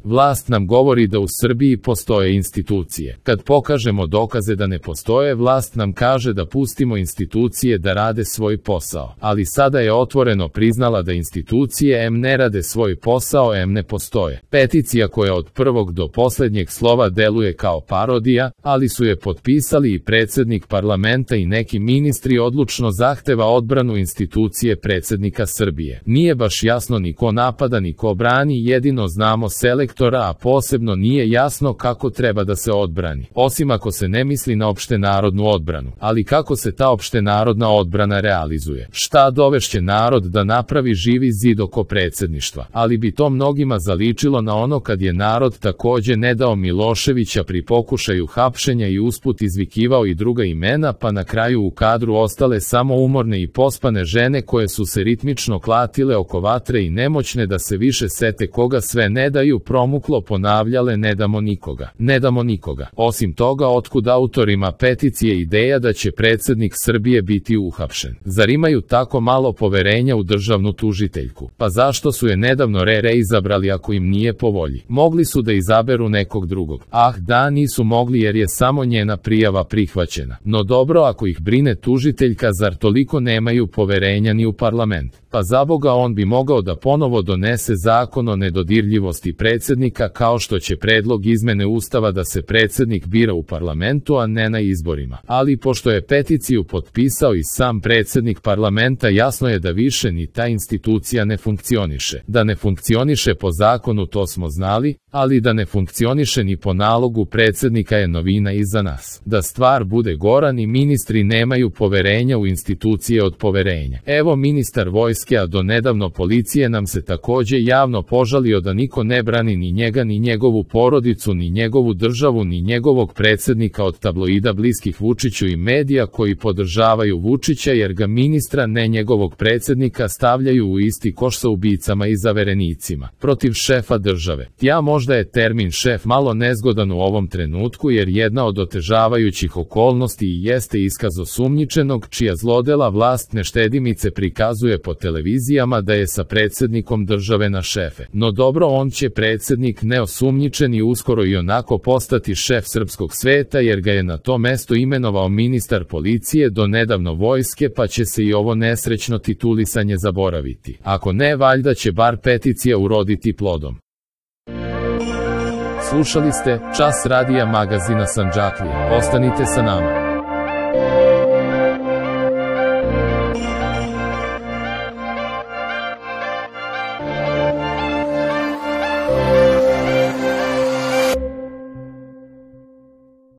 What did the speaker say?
Vlast nam govori da u Srbiji postoje institucije. Kad pokažemo dokaze da ne postoje, vlast nam kaže da pustimo institucije da rade svoj posao. Ali sada je otvoreno priznala da institucije M ne rade svoj posao, M ne postoje. Peticija koja od prvog do poslednjeg slova deluje kao parodija, ali su je potpisali i predsednik parlamenta i neki ministri, odlučno zahteva odbranu institucije predsednika Srbije. Nije baš jasno ni ko napada ni ko brani, jedino znamo selektora, a posebno nije jasno kako treba da se odbrani. Osim ako se ne misli na opštenarodnu odbranu. Ali kako se ta opštenarodna odbrana realizuje? Šta dovešće narod da napravi živi zid oko predsedništva? Ali bi to mnogima zaličilo na ono kad je narod takođe ne dao Miloševića pri pokušaju hapšenja i usput izvikivao i druga imena, pa na kraju u kadru ostale samo umorne i pospane žene koje su se ritmično klatile oko vatre i nemoćne da se više sete koga sve ne daju, promuklo ponavljale ne damo nikoga, ne damo nikoga. Osim toga, otkud autorima peticije ideja da će predsednik Srbije biti uhapšen? Zar imaju tako malo poverenja u državnu tužiteljku? Pa zašto su je nedavno izabrali ako im nije po volji? Mogli su da izaberu nekog drugog. Ah da, nisu mogli jer je samo njena prijava prihvaćena. No dobro, ako ih brine tužiteljka, zar toliko nemaju poverenja ni u parlament? Pa zaboga, on bi mogao da ponovo donese zakon o nedodirljivosti predsednika, kao što će predlog izmene Ustava da se predsednik bira u parlamentu, a ne na izborima. Ali pošto je peticiju potpisao i sam predsednik parlamenta, jasno je da više ni ta institucija ne funkcioniše. Da ne funkcioniše po zakonu, to smo znali, ali da ne funkcioniše ni po nalogu predsednika je novina i za nas. Da stvar bude gora, ni ministri nemaju poverenja u institucije od poverenja. Evo, ministar vojske, a do nedavno policije, nam se takođe javno požalio da niko ne brani ni njega, ni njegovu porodicu, ni njegovu državu, ni njegovog predsednika od tabloida bliskih Vučiću i medija koji podržavaju Vučića, jer ga ministra, ne njegovog predsednika, stavljaju u isti koš sa ubicama i zaverenicima. Protiv šefa države. Možda je termin šef malo nezgodan u ovom trenutku, jer jedna od otežavajućih okolnosti i jeste iskaz osumnjičenog, čija zlodela vlast neštedimice prikazuje po televizijama da je sa predsednikom države na šefe. No dobro, on će predsednik neosumnjičen i uskoro i onako postati šef srpskog sveta, jer ga je na to mesto imenovao ministar policije, do nedavno vojske, pa će se i ovo nesrećno titulisanje zaboraviti. Ako ne, valjda će bar peticija uroditi plodom. Slušali ste Čas radija magazina Sandžaklije. Ostanite sa nama.